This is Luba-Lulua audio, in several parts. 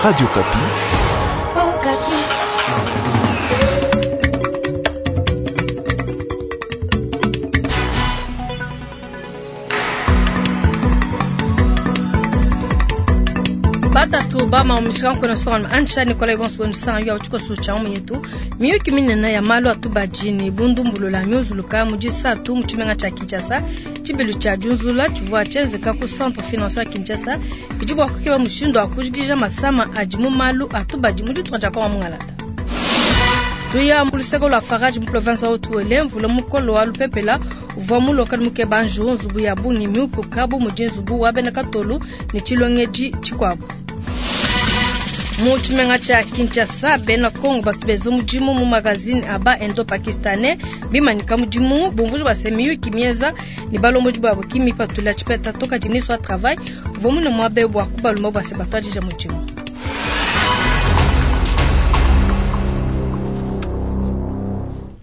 Radio Okapi. Batatu bama mushika nkona sokana ancha Nicolas Ibonso wenu ya uchiko sucha umu yetu miyuki minene ya malu atubaji ni bundumbulula myuzuluka mu disatu mu tshimenga tshia Kinshasa tshibilu tshia diunzula tshivua tshienzeka ku centre financier ya Kinshasa bidi bua kukeba mushindu wa kujikija masama adi mu malu atubadi mu ditunga dia Kongo mungalata. Tuya mu luseke lua Farage mu province wa Haut-Uele mvula mukolo wa lupepela uvua mulokale mukeba njuwu nzubu ya bungi miupuka bu mudi nzubu wa bena katolu ne tshilongedi tshikuabu. Mu tshimenga tshia Kinshasa bena Kongo batu benza mudimu mu magazine aba indo-pakistanais bimanyika mudimu bumvuji bua se miyuki mienza ne balombodi babo ki mipatula tshipeta to kadi ministre wa travail uvua mune muabe bua kubalomba bua se batuadija mudimu.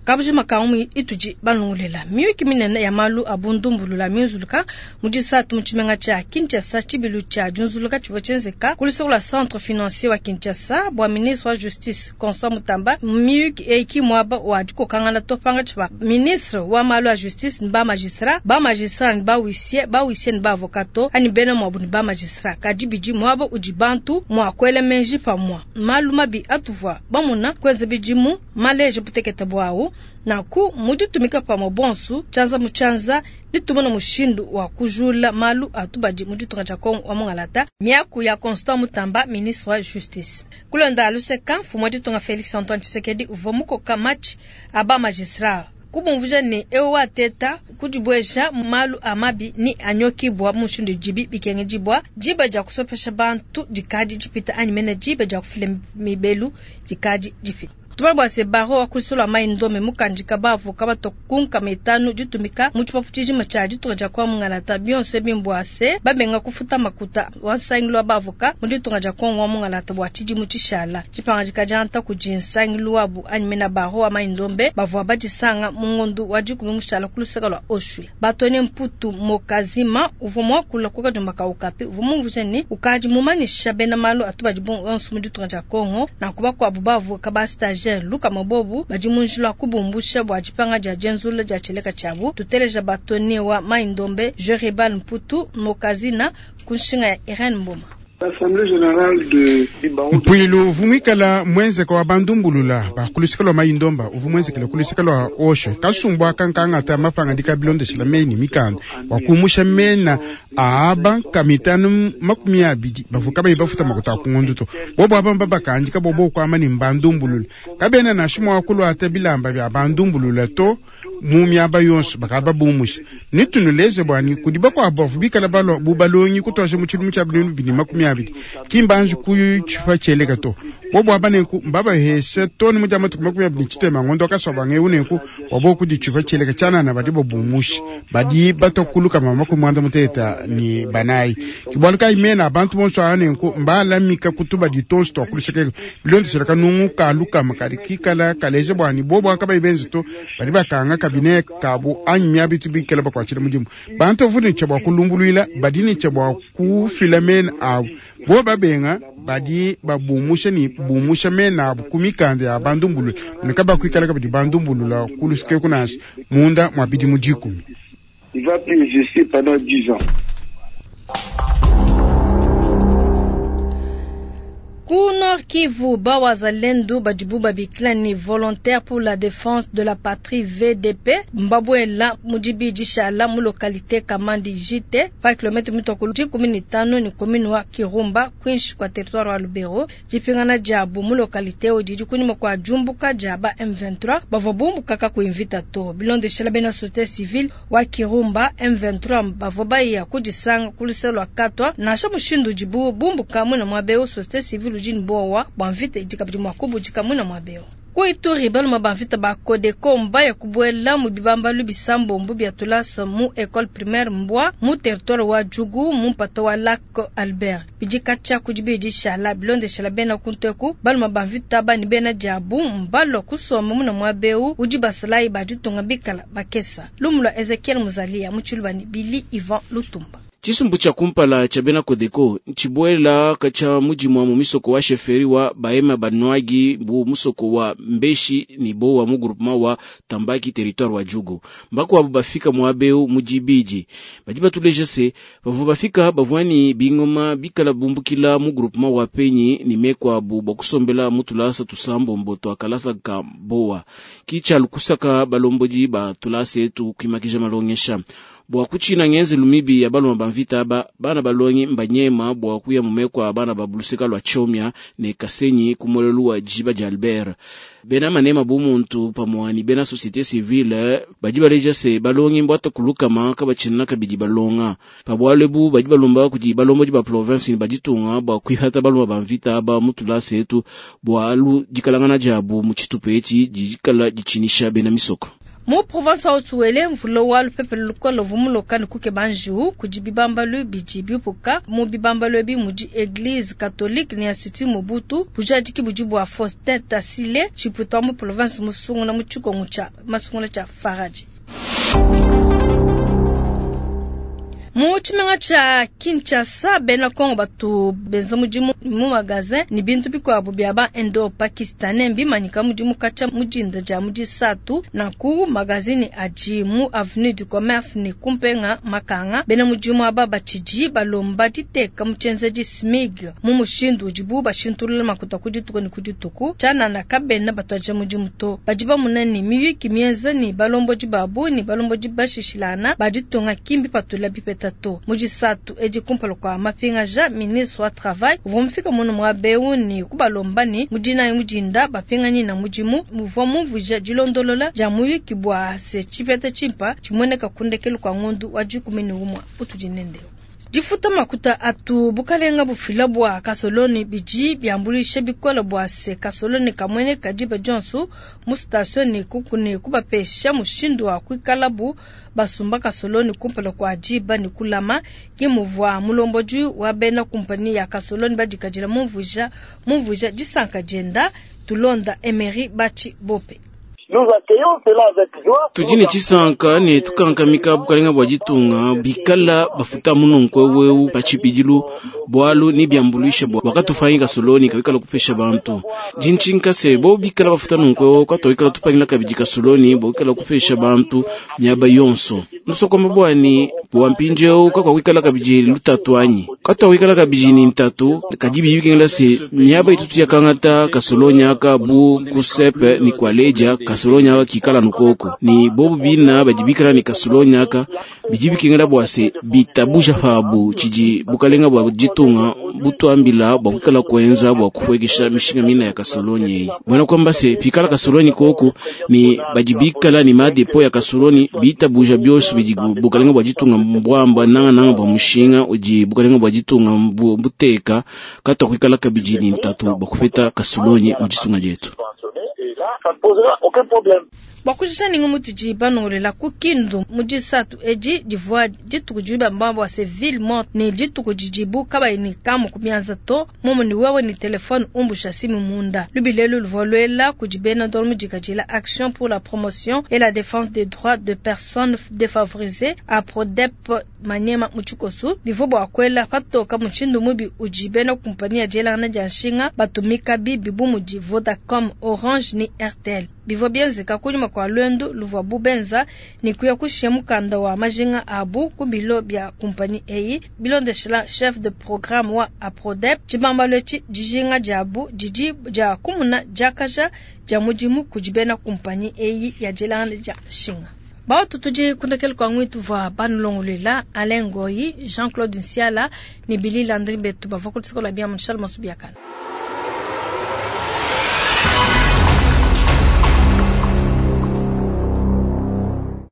Kabujima ka umu itudi balongolela miyuki minene ya malu a bundumbulula miunzuluka mu disatu mu tshimenga tshia Kinshasa tshibilu tshia diunzuluka tshivua tshienzeka ku luseke lua centre financier wa Kinshasa bua ministre wa justice Constant Mutamba. Miyuki eyi ki muaba wa dikokangana to pangatshi pa ministre wa malu a justice ne ba magistrat, ba magistrat ne ba huissier, ba huissier ne ba avocat to anyi bena muabu ne ba magistrat. Kadi bidi muaba udi bantu mua kuela menji pamua malu mabi atuvua bamuna kuenza bidimu maleje butekete buawu naku muditumika pamue bonsu tshianza mu tshianza ditumona mushindu wa kujula malu atubadi mu ditunga dia Kongo wa mungalata. Miaku ya Constant Mutamba ministre wa justice kulonda luseka mfumu wa ditunga Felix Antoine Tshisekedi uvua mukoka match aba magistrat kubumvuja ne ewu wateta kudibweja malu a mabi ni anyokibwa mushindu dibi bikengedibwa diba dia kusopesha bantu dikadi dipita anyi mene diba dia kufila mibelu dikadi dipita. Tubala bua se baro wa kusolo mai ndome mukandika bavu kabato kunka metanu ditumika mu tshipapu tshijima tshia ditunga dia kwa mungalata bionse bimbwa se babenga kufuta makuta wa nsangilu wa bavoka mu ditunga dia Kongo wa mungalata bua tshidimu tshishala tshipangajika dia nta kudi nsangilu wabu anyi mena baro wa mai ndombe bavua badisanga mu ngondu wa dikumi mushala ku luseke lua Oshwe. Batone Mputu Mokazima uvua muakula ku kadiomba ka Okapi uvua mumvuija ne ukadi mumanyisha bena malu atubadi bonso mu ditunga dia Kongo na kubakuabu bavoka ba stagiaire Luka Mabobu badi mu njila kubumbusha bua dipanga dia dienzula dia tshieleka tshiabu. Tuteleja batone wa Mai Ndombe Jeribal Mputu Mokazina ku nshinga ya Irene Mboma. L'Assemblée générale de du barreau de Mpuilu uvumwikala mwenzeka wa bandumbulula bakulusika lwa Mai Ndomba uvumwenzekela kulusika lwa Osho kasumbwa kankangata mapanga dikabilondeshela meni mikanda wakumusha mena aaba kamitanu 20 bavuka bayi bafuta makuta akungundu to bobo aba mbabakandika bobo kwama ni mbandumbulula kabena na shimo wakulwata bilamba bya bandumbulula to mu miaba yonso bakaba bumusha nitunuleze bwani kudi bakwabo bavubikala balwa bubalongi kutosha mu tshilumu tshia binunu bini 20 kimbanji kuyu tshifa tshieleka to bobo aba nenku mbabaheshe toni mu dia matuku 20 tshitema ngondo akasoba ngeu nenku wabo kudi tshifa tshieleka tshianana badi bobumusha badi batokuluka mama 94 ni banayi kibwalu kayi mena abantu bonso aya nenku mbalamika kutuba ditonso twakuluseka bilondeshela kanungu kalukama kadi kikala kaleje bwani bobo akabayi benze to badi bakanga kabine kabo anyi miabitu bikala bakwatshila mudimu bantu bavudi ne tshia bua kulumbuluila badi ne tshia bua kufila mena abu bo babenga badi babumusha ni bumusha mena abu ku mikanda ya bandumbulula ne kabakuikala kabidi bandumbulula kulusike kunansi munda mwa bidimu 10. Il va plus exister pendant 10 ans. Ku Nord Kivu bawazalendo badibu babikila ni volontaire pour la défense de la patrie VDP mbabwela mudibi dishala mu localité Kamandi JT pa kilomètre mitokolo 15 ni commune wa Kirumba kwinshi kwa territoire wa Lubero dipingana diabu mu localité odidi kunyuma kwa jumbuka diaba M23 bavua bumbuka kakuinvita to bilondeshela bena société civile wa Kirumba M23 bavua baya kudisanga ku luseke lua katwa nansha mushindu dibu bumbuka muna mwabeo société civile ujini bowa bwa mvita idikabidi mwa kubudika muna mwabeo. Ku Ituri baluma ba mvita ba Codeco mbaya kubwela mu bibambalu bisambombo bya tulasa mu école primaire Mbwa mu territoire wa Djugu mu mpata wa Lac Albert. Bidika tshia kudi bidishala bilondeshela bena kunteku baluma ba mvita bani bena diabu mbalo kusoma muna mwabeu udi basalayi ba ditunga bikala bakesa. Lumu lwa Ezekiel Muzalia mu tshilubani Billy Ivan Lutumba. Tshisumbu tshia kumpala tshia bena Codeco ntshibuela katshia mudimua mu misoko wa chefferie wa Bahema Banwagi bu musoko wa Mbeshi ni Bowa mu groupement wa Tambaki territoire wa Djugu. Mbakuabu bafika muabeu mu dibidi. Badi batuleja se bavua bafika bavua ni bingoma bikala bumbukila mu groupement wa Penyi ni mekuabu bua kusombela mu tulasa tusambombo tua kalasa ka Bowa. Ki kusaka balombodi ba tulasa etu kuimakija malongesha. Bua kuchina ngenzelu mibi ya baloma ba mvita aba bana balongi mbanyema bua kuya mumeko bana ba buluseka lwa Chomia ne Kasenyi kumolelu wa jiba dia Albert. Bena manema bumuntu pamua ni bena société civile badi baleja se balongi mbwata kulukama kabachina kabidi balonga. Pabwalebu badi balomba kudi balombodi ba province ni baditunga bua kuihata baloma ba mvita aba mutulasa etu bua alu dikalangana diabu mu tshitupa etshi dikala dichinisha bena misoko. Mu province wa Haut-Uele mvula wa lupepele lukole luvua ne kukeba njiwu kudi bibambalu bidi bipuka mu bibambalu ebi mudi Eglise catholique ne Institut Mobutu bujadiki budi bua Faustin Tassile tshipuita mu province musungula mu tshikongo tshia masungula tshia Faraji. Mu tshimenga tshia Kinshasa bena Kongo batu benza mudimu mu magasin ni bintu bikuabu bia ba Indo Pakistanais mbimanyika mudimu katshia mudinda dia mu disatu nanku magazini adi mu avenue du commerce ni kumpenga makanga bena mudimu aba batshidi balomba diteka mu tshienzedi SMIG mu mushindu udibu bashintulula makuta ku dituku ne ku dituku tshianana kabena batuadija mudimu to badi bamuna ni miyuki mienza ni balombodi babu ni balombodi bashishilana baditunga kimbi patula bipeta to mudisatu edi kumpala kwa mapingaja ministre wa travail uvua mufika muno muabeu ni kubalomba ni mudinayi mudinda bapinganyi na mudimu muvua mumvuija dilondolola dia muyuki bua se tshipeta tshimpa tshimueneka kundekelu kwa ngondu wa 11 utudi nendeo. Difuta makuta atu bukalenga bufila bua kasoloni bidi biambulisha bikola bua se kasoloni kamwene kadiba dionso mu station ni kukune kubapesha mushindu wa kuikalabu basumba kasoloni kumpala kwa diba ni kulama kimuvua mulombodi wa bena kumpani ya kasoloni badikadila mumvuija disanka dienda tulonda Emery Bachi Bope. Tudi ne tshisanka ne tukankamika bukalenga bua ditunga bikala bafuta mununkwe weu pa tshibidilu bualu ni biambuluisha bua wakatufanyi kasoloni kabikala kupesha bantu dintshinka se bo bikala bafuta nunkwe weu katowikala tupangila kabidi kasoloni bokala kupesha bantu miaba yonso nusokoma bwani bua mpindieu kakwawikala kabidi lutatu anyi katwawikala kabidi ni ntatu kadi bibikengela se miaba itutu yakangata kasoloni aka bu kusepe ni kwaleja kasoloni aka kikala nukoko ni bobu bina badi bikala ni kasoloni aka bidi bikengela bua se bitabuja pabu tshidi bukalenga bua ditunga butwambila bua kuikala kuenza bua kufuekesha mishinga mina ya kasoloni eyi bwana kwamba se pikala kasoloni koko ni badi bikala ni madepo ya kasoloni bitabuja byosu bidi bukalenga bua ditunga mbwamba nanga nanga bua mushinga udi bukalenga bua ditunga buteka katwa kuikala kabidi ni ntatu bua kupeta kasoloni mu ditunga dietu. Bua ninga mutudi banongolela ku Kindu mu disatu edi divua dituku dibi bamba bua se ville morte ne dituku didibu kabayi ni kamu ku mianza to momo ni wewe ni telefone umbusha simu munda lubilelu luvua luela kudi bena ndolo mudikadila action pour la promotion et la défense des droits de personnes défavorisées APRODEP manyema mu tshikosu bivua bua kuela patoka mushindu mubi udi bena kumpani ya dielangana dia nshinga batumika bibi bu mudi Vodacom, Orange ni Airtel. Bivua bienzeka kunyima kwa lwendo luvua bubenza ni kuya kushia mukanda wa majinga abu ku bilo bya kumpani eyi bilondeshela chef de programme wa APRODEP tshibambalo etshi dijinga diabu didi dia kumuna diakaja dia mudimu kudi bena kumpani eyi ya dielangana dia nshinga. Bautu tudi kundekele kwa ngwitu vwa banulongolwela Alain Goyi, Jean-Claude Nsiala ni Billy Landry betu bavua kulisikola bia Charles Masubiakana.